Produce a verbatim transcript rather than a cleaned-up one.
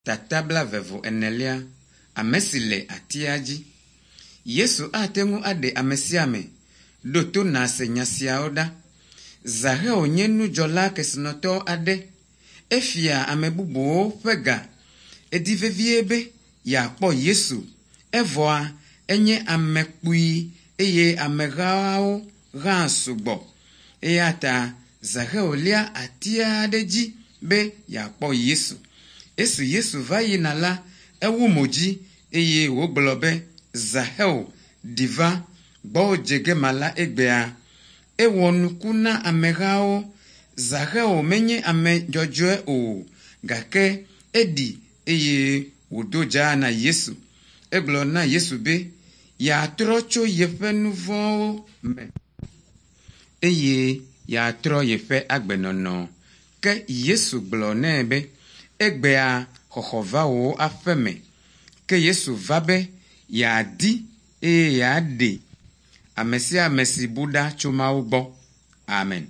Tata blaeve-vɔ-enelia, ame si le atia dzi. Yesu ate ŋu aɖe ame sia ame. Ɖo to nàse nya siawo ɖa. Zaxeo nye nudzɔla kesinɔtɔ aɖe. Efia ame bubuwo ƒe ga. Edi vevie be yeakpɔ Yesu. Evɔa enye ame kpui eye amehawo hã sugbɔ. Eya ta Zaxeo lia ati aɖe dzi be yeakpɔ Yesu. Esi Yesu va yina la, ewu mo dzi eye wògblɔ be, Zaxeo, ɖi va, gbɔwò dze ge mala egbea. Ewɔ nuku na amehawo. Zaxeo menye ame dzɔdzɔe o, gake eɖi eye wòdo dzaa na Yesu. Egblɔ na Yesu be yeatrɔ tso yeƒe nu vɔ̃wo me eye yeatrɔ yeƒe agbenɔnɔ. Ke Yesu gblɔ nɛ be, egbea xɔxɔ va wò aƒe me. Ke Yesu va be yeadi eye yeaɖe ame sia ame si bu ɖa tso Mawu gbɔ. Amen.